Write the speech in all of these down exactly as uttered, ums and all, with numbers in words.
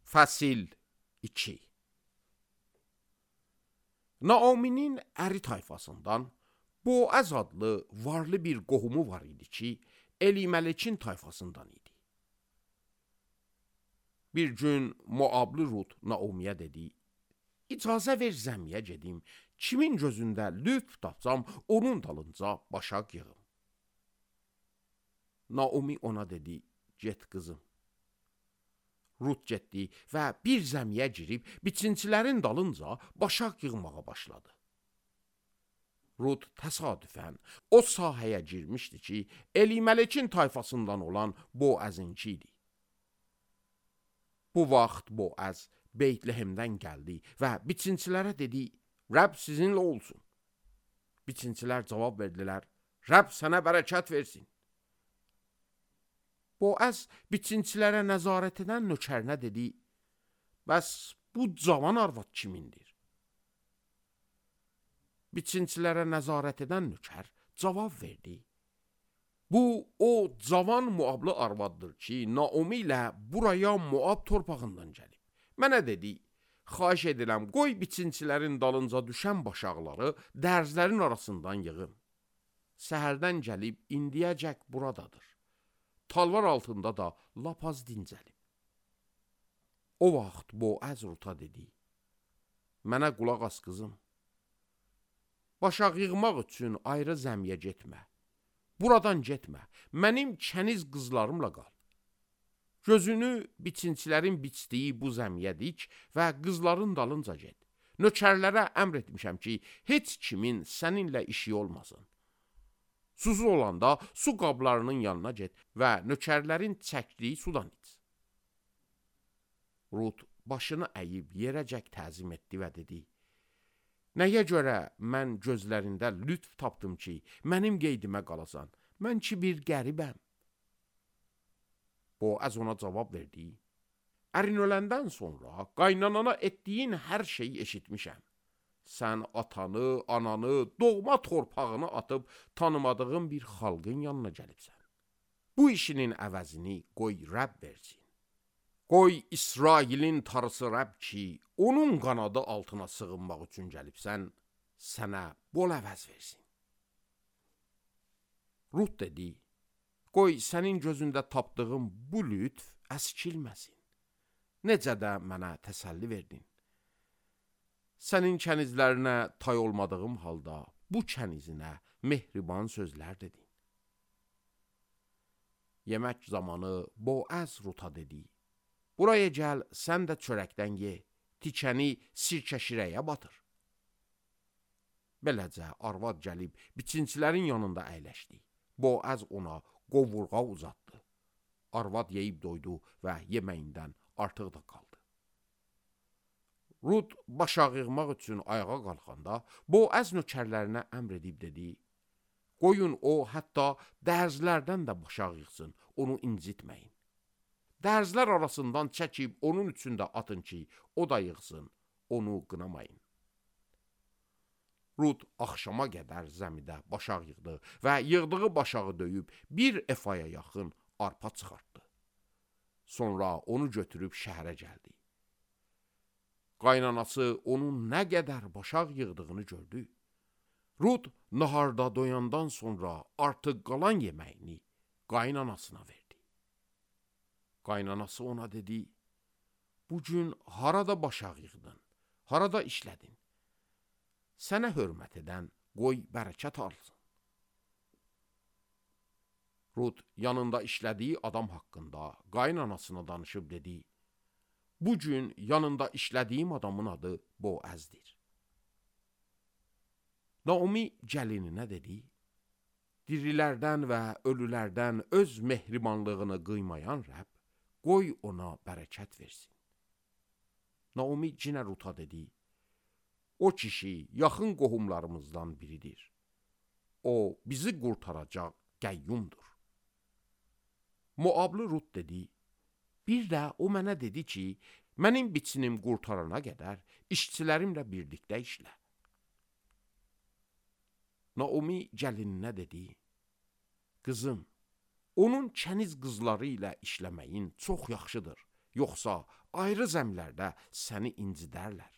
Fəsil iki. Naominin əri tayfasından Boaz adlı varlı bir qohumu var idi ki, Eliməlekin tayfasından idi. Bir gün Moablı Rut Naomiyə dedi, icazə ver zəmiyə gedim, kimin gözündə lütf tapsam, onun dalınca başaq yığım. Naomi ona dedi, get qızım. Rut getdi və bir zəmiyə girib, biçincilərin dalınca başaq yığmağa başladı. Rut təsadüfən o sahəyə girmişdi ki, Eliməlekin tayfasından olan Boazınki idi. Bu vaxt Boaz Beytlehemdən gəldi və biçincilərə dedi, Rəbb sizinlə olsun. Biçincilər cavab verdilər, Rəbb sənə bərəkət versin. Boaz biçincilərə nəzarət edən nökərinə dedi, bəs bu cavan arvad kimindir? Biçincilərə nəzarət edən nökər cavab verdi, bu o cavan Moablı arvaddır ki, Naomi ilə buraya Moab torpağından gəlib. Mənə dedi, xahiş edirəm, qoy biçincilərin dalınca düşən başaqları dərzlərin arasından yığım. Səhərdən gəlib indiyəcək buradadır. Talvar altında da lap az dincəlib. O vaxt Boaz Ruta dedi, mənə qulaq as qızım. Başaq yığmaq üçün ayrı zəmiyə getmə. Buradan getmə, mənim kəniz qızlarımla qal. Gözünü biçincilərin biçdiyi bu zəmiyə dik və qızların dalınca get. Nökərlərə əmr etmişəm ki, heç kimin səninlə işi olmasın. Susuz olanda su qablarının yanına get və nökərlərin çəkdiyi sudan iç. Rut başını əyib yerəcək təzim etdi və dedi, nəyə görə mən gözlərində lütf tapdım ki, mənim qeydimə qalasan, mən ki bir qəribəm. Boaz ona cavab verdi, ərin öləndən sonra qaynanana etdiyin hər şeyi eşitmişəm. Sən atanı, ananı, doğma torpağını atıb tanımadığın bir xalqın yanına gəlibsən. Bu işinin əvəzini qoy Rəbb versin. Qoy İsrailin tarısı Rəbb ki, onun qanadı altına sığınmaq üçün gəlibsən, sənə bol əvəz versin. Rut dedi, qoy sənin gözündə tapdığım bu lütf əskilməsin. Necə də mənə təsəlli verdin. Sənin kənizlərinə tay olmadığım halda bu kənizinə mehriban sözlər dedin. Yemək zamanı Boaz Ruta dedi, buraya gəl, sən də çörəkdən ye, tikəni sirkə şirəyə batır. Beləcə arvad gəlib biçincilərin yanında əyləşdi. Boaz ona qovurğa uzatdı. Arvad yeyib doydu və yeməyindən artıq da qaldı. Rut başaq yığmaq üçün ayağa qalxanda, Boaz nökərlərinə əmr edib dedi, qoyun o hətta dərzlərdən də başaq yığsın, onu incitməyin. Dərzlər arasından çəkib onun üçün də atın ki, o da yığsın, onu qınamayın. Rut axşama qədər zəmidə başaq yığdı və yığdığı başağı döyüb bir efaya yaxın arpa çıxartdı. Sonra onu götürüb şəhərə gəldi. Qaynanası onun nə qədər başaq yığdığını gördü. Rut naharda doyandan sonra artıq qalan yeməyini qaynanasına verdi. Qaynanası ona dedi, bu gün harada başaq yığdın, harada işlədin? Sənə hörmət edən qoy bərəkət alsın. Rut yanında işlədiyi adam haqqında qaynanasına danışıb dedi, bu gün yanında işlədiyim adamın adı Boazdir. Naomi gəlininə dedi, dirilərdən və ölülərdən öz mehribanlığını qıymayan Rəbb, qoy ona bərəkət versin. Naomi cinə Ruta dedi, o kişi yaxın qohumlarımızdan biridir. O bizi qurtaracaq qəyyumdur. Moablı Rut dedi, bir də o mənə dedi ki, mənim biçinim qurtarana qədər işçilərimlə birlikdə işlə. Naomi gəlininə dedi, qızım, onun kəniz qızları ilə işləməyin çox yaxşıdır. yoxsa ayrı zəmlərdə səni incidərlər.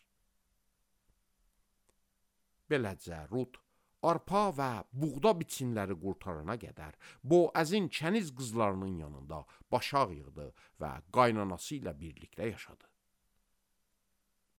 Beləcə Rut arpa və buğda biçinləri qurtarana qədər Boazin kəniz qızlarının yanında başaq yığdı və qaynanası ilə birlikdə yaşadı.